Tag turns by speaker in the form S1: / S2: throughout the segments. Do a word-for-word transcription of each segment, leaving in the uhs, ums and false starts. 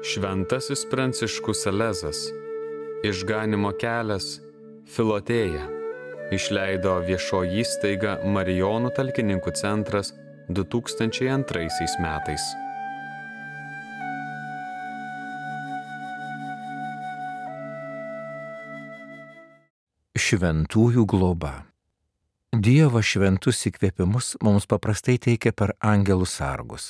S1: Šventasis Pranciškus Salezas, Išganymo kelias, Filotėja, išleido viešoji įstaiga Marijonų talkininkų centras du tūkstančiai antraisiais metais.
S2: Šventųjų globa. Dievas šventus įkvėpimus mums paprastai teikia per angelų sargus.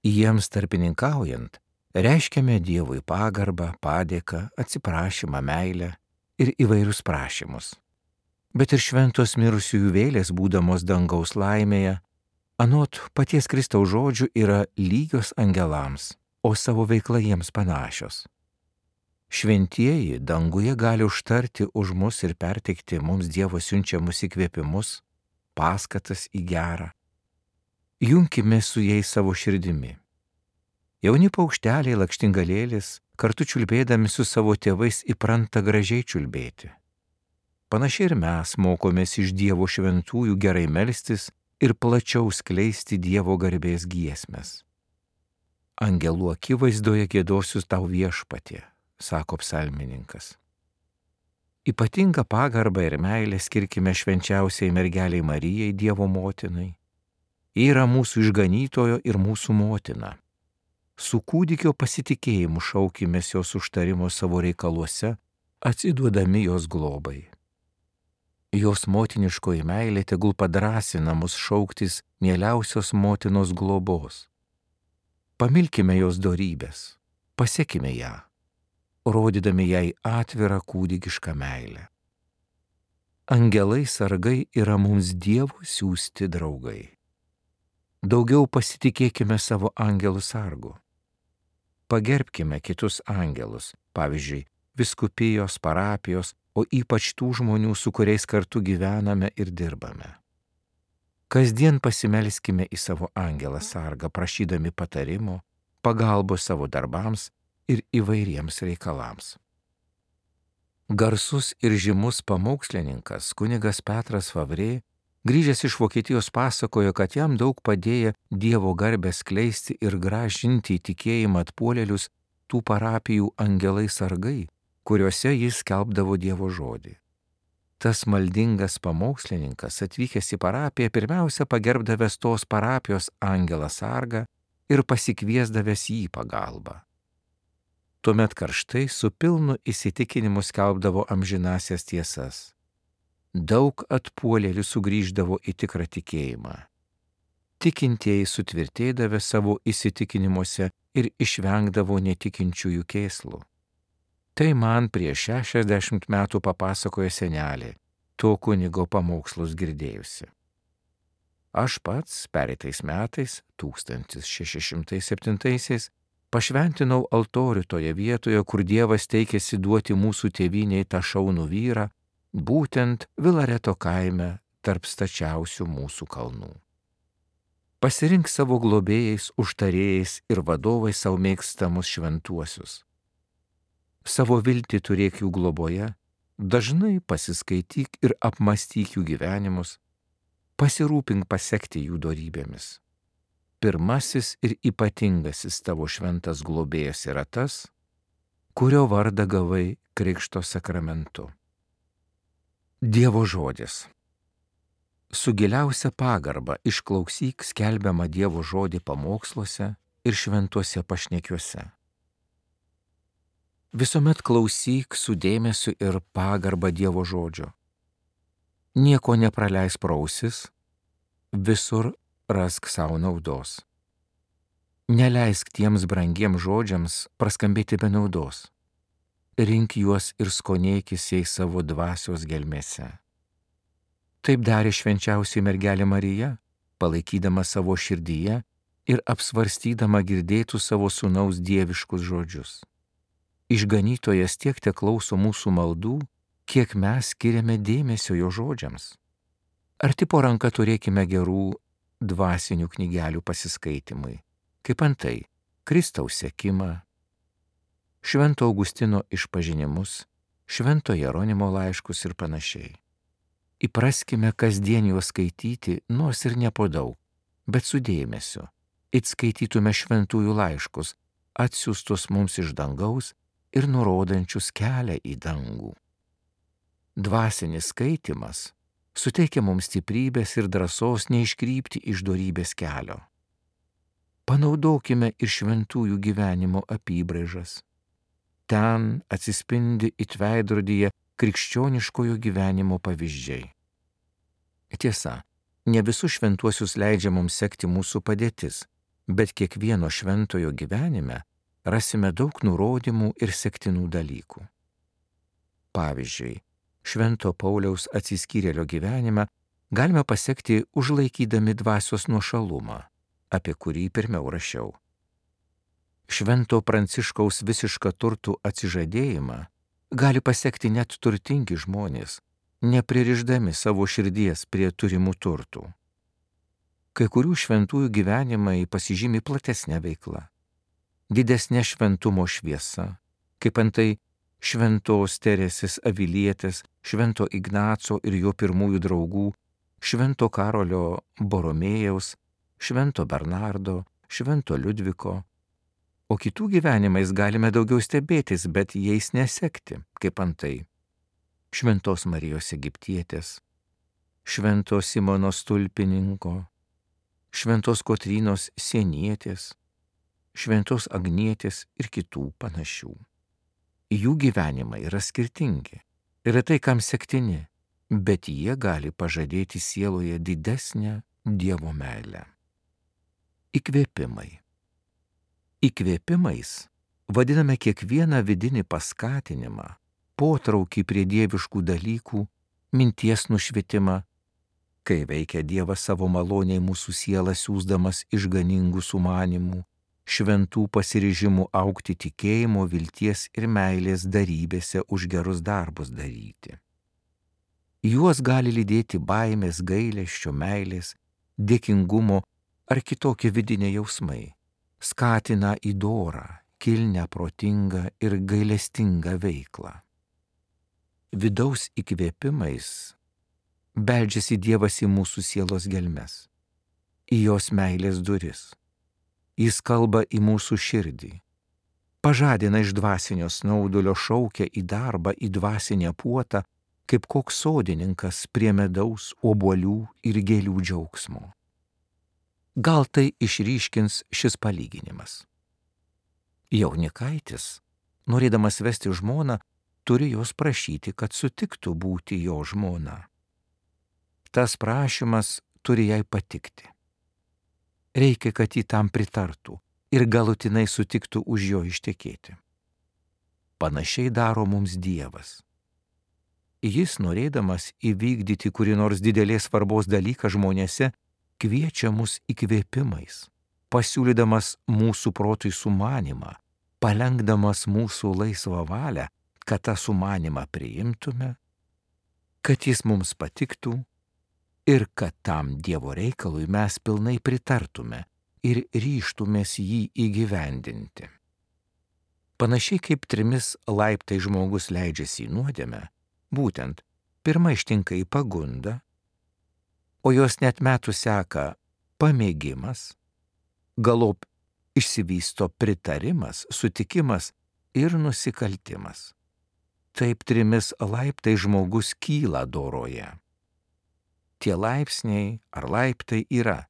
S2: Jiems tarpininkaujant, reiškiame Dievui pagarbą, padėką, atsiprašymą, meilę ir įvairius prašymus. Bet ir šventos mirusiųjų vėlės, būdamos dangaus laimėje, anot paties Kristaus žodžių, yra lygios angelams, o savo veikla jiems panašios. Šventieji danguje gali užtarti už mus ir perteikti mums Dievo siunčiamus įkvėpimus, paskatas į gerą. Junkime su jais savo širdimi. Jauni paukšteliai lakštingalėlis kartu čiulbėdami su savo tėvais įpranta gražiai čiulbėti. Panašiai ir mes mokomės iš Dievo šventųjų gerai melstis ir plačiau skleisti Dievo garbės giesmes. Angelų akivaizdoje giedosiu tau viešpatie, sako psalmininkas. Ypatingą pagarbą ir meilę skirkime švenčiausiai mergeliai Marijai, Dievo motinai. Ji yra mūsų išganytojo ir mūsų motina. Su kūdikio pasitikėjimu šaukimės jos užtarimo savo reikaluose, atsiduodami jos globai. Jos motiniškoji meilė tegul padrąsina mus šauktis mieliausios motinos globos. Pamilkime jos dorybės, pasekime ją, rodydami jai atvirą kūdikišką meilę. Angelai sargai yra mums Dievo siųsti draugai. Daugiau pasitikėkime savo angelų sargu. Pagerbkime kitus angelus, pavyzdžiui, vyskupijos, parapijos, o ypač tų žmonių, su kuriais kartu gyvename ir dirbame. Kasdien pasimelskime į savo angelą sargą, prašydami patarimo, pagalbos savo darbams ir įvairiems reikalams. Garsus ir žymus pamokslininkas kunigas Petras Favrė, grįžęs iš Vokietijos, pasakojo, kad jam daug padėjo Dievo garbę skleisti ir grąžinti į tikėjimą atpuolėlius tų parapijų angelai sargai, kuriuose jis skelbdavo Dievo žodį. Tas maldingas pamokslininkas, atvykęs į parapiją, pirmiausia pagerbdavęs tos parapijos angelą sargą ir pasikviesdavęs jį pagalbą. Tuomet karštai su pilnu įsitikinimu skelbdavo amžinasias tiesas. Daug atpuolėlių sugrįždavo į tikrą tikėjimą. Tikintieji sutvirtėdavę savo įsitikinimuose ir išvengdavo netikinčiųjų kėslų. Tai man prieš šešiasdešimt metų papasakojo senelė, to kunigo pamokslus girdėjusi. Aš pats pereitais metais, tūkstantis šeši šimtai septintaisiais, pašventinau altorių toje vietoje, kur Dievas teikėsi duoti mūsų tėvynei tą šaunų vyrą, būtent Vilareto kaime tarp stačiausių mūsų kalnų. Pasirink savo globėjais, užtarėjais ir vadovais savo mėgstamus šventuosius. Savo viltį turėk jų globoje, dažnai pasiskaityk ir apmastyk jų gyvenimus, pasirūpink pasekti jų dorybėmis. Pirmasis ir ypatingasis tavo šventas globėjas yra tas, kurio vardą gavai krikšto sakramentu. Dievo žodis. Su giliausia pagarba išklausyk skelbiamą Dievo žodį pamoksluose ir šventuose pašnekiuose. Visuomet klausyk su dėmesiu ir pagarba Dievo žodžio. Nieko nepraleis pro ausis, visur rask savo naudos. Neleisk tiems brangiems žodžiams praskambėti be naudos. Rink juos ir skonėkis jais savo dvasios gelmėse. Taip darė švenčiausioji mergelė Marija, palaikydama savo širdyje ir apsvarstydama girdėtų savo sūnaus dieviškus žodžius. Išganytojas tiek te klauso mūsų maldų, kiek mes skiriame dėmesio jo žodžiams. Arti po ranka turėkime gerų dvasinių knygelių pasiskaitimui, kaip antai Kristaus sekimą, Švento Augustino išpažinimus, Švento Jeronimo laiškus ir panašiai. Įpraskime kasdien juos skaityti, nors ir ne po daug, bet su dėmesiu. It skaitytume šventųjų laiškus atsiųstus mums iš dangaus ir nurodančius kelią į dangų. Dvasinis skaitimas suteikia mums stiprybės ir drąsos neiškrypti iš dorybės kelio. Panaudokime ir šventųjų gyvenimo apybraižas. Ten atsispindi it veidrodyje krikščioniškojo gyvenimo pavyzdžiai. Tiesa, ne visus šventuosius leidžia mums sekti mūsų padėtis, bet kiekvieno šventojo gyvenime rasime daug nurodymų ir sektinų dalykų. Pavyzdžiui, Švento Pauliaus atsiskyrėlio gyvenime galime pasekti užlaikydami dvasios nuošalumą, apie kurį pirmiau rašiau. Švento Pranciškaus visišką turtų atsižadėjimą gali pasekti net turtingi žmonės, nepririšdami savo širdies prie turimų turtų. Kai kurių šventųjų gyvenimai pasižymi platesnė veikla, didesnė šventumo šviesa, kaip antai Šventos Teresės Avilietės, Švento Ignaco ir jo pirmųjų draugų, Švento Karolio Boromėjaus, Švento Bernardo, Švento Liudviko. O kitų gyvenimais galime daugiau stebėtis, bet jais nesekti, kaip antai Šventos Marijos Egiptietės, Švento Simono Stulpininko, Šventos Kotrynos Sienietės, Šventos Agnietės ir kitų panašių. Jų gyvenimai yra skirtingi, yra tai, kam sektini, bet jie gali pažadėti sieloje didesnę Dievo meilę. Įkvėpimai. Įkvėpimais vadiname kiekvieną vidinį paskatinimą, potraukį prie dieviškų dalykų, minties nušvitimą, kai veikia Dievas savo maloniai mūsų sielą siųsdamas išganingų sumanimų, šventų pasiryžimų augti tikėjimo, vilties ir meilės darybėse už gerus darbus daryti. Juos gali lydėti baimės, gailesčio, meilės, dėkingumo ar kitokie vidiniai jausmai, skatina į dorą, kilnią, protingą ir gailestingą veiklą. Vidaus įkvėpimais beldžiasi Dievas į mūsų sielos gelmes, į jos meilės duris. Jis kalba į mūsų širdį, pažadina iš dvasinio snaudulio, šaukia į darbą, į dvasinę puotą, kaip koks sodininkas prie medaus, obuolių ir gėlių džiaugsmo. Gal tai išryškins šis palyginimas. Jaunikaitis, norėdamas vesti žmoną, turi jos prašyti, kad sutiktų būti jo žmona. Tas prašymas turi jai patikti. Reikia, kad jį tam pritartų ir galutinai sutiktų už jo ištekėti. Panašiai daro mums Dievas. Jis, norėdamas įvykdyti kurį nors didelės svarbos dalyką žmonėse, kviečia mus įkvėpimais, pasiūlydamas mūsų protui sumanimą, palenkdamas mūsų laisvą valią, kad tą sumanimą priimtume, kad jis mums patiktų ir kad tam Dievo reikalui mes pilnai pritartume ir ryžtumės jį įgyvendinti. Panašiai kaip trimis laiptai žmogus leidžiasi į nuodėmę, būtent pirma ištinka į pagundą, o jos net metų seka pamėgimas, galop išsivysto pritarimas, sutikimas ir nusikaltimas. Taip trimis laiptai žmogus kyla doroje. Tie laipsniai ar laiptai yra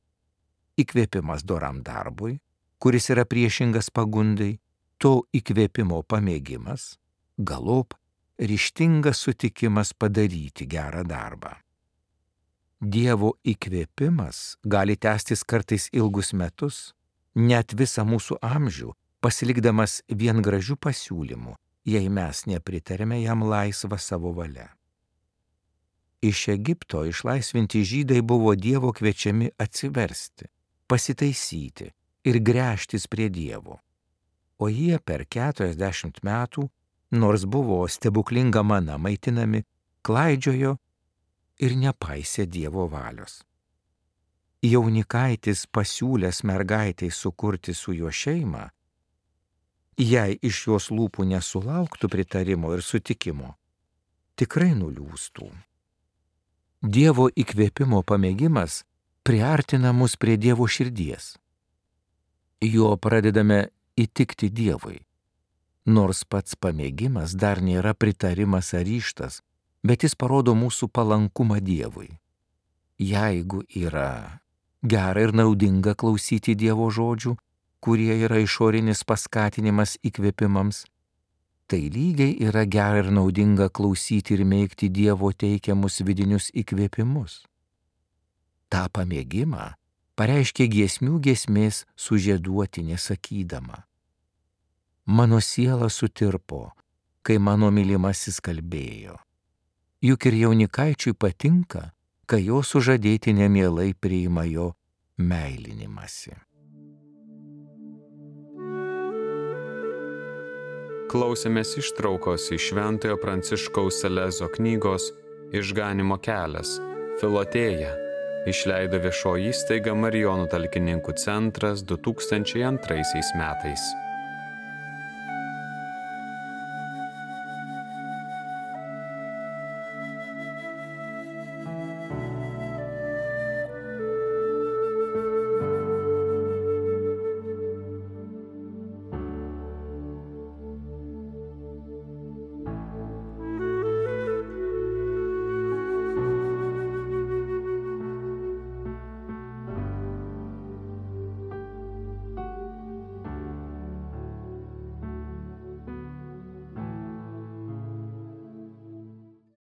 S2: įkvėpimas doram darbui, kuris yra priešingas pagundai, to įkvėpimo pamėgimas, galop ryžtingas sutikimas padaryti gerą darbą. Dievo įkvėpimas gali tęstis kartais ilgus metus, net visą mūsų amžių, pasilikdamas vien gražių pasiūlymų, jei mes nepritarėme jam laisvą savo valia. Iš Egipto išlaisvinti žydai buvo Dievo kviečiami atsiversti, pasitaisyti ir gręžtis prie Dievo. O jie per keturiasdešimt metų, nors buvo stebuklinga mana maitinami, klaidžiojo ir nepaisė Dievo valios. Jaunikaitis pasiūlęs mergaitai sukurti su juo šeimą, jei iš jos lūpų nesulauktų pritarimo ir sutikimo, tikrai nuliūstų. Dievo įkvėpimo pamėgimas priartina mus prie Dievo širdies. Juo pradedame įtikti Dievui. Nors pats pamėgimas dar nėra pritarimas ar ryžtas, bet jis parodo mūsų palankumą Dievui. Jeigu yra gera ir naudinga klausyti Dievo žodžių, kurie yra išorinis paskatinimas įkvėpimams, tai lygiai yra gera ir naudinga klausyti ir mėgti Dievo teikiamus vidinius įkvėpimus. Ta pamėgimą pareiškė giesmių giesmės sužieduotinė sakydama: mano siela sutirpo, kai mano mylimasis kalbėjo. Juk ir jaunikaičiui patinka, kai jo sužadėtinė mielai priima jo meilinimąsi.
S1: Klausėmės ištraukos iš Šventojo Pranciškaus Salezo knygos Išganymo kelias – Filotėja, išleido viešoji įstaiga Marijonų talkininkų centras du tūkstančiai antraisiais metais.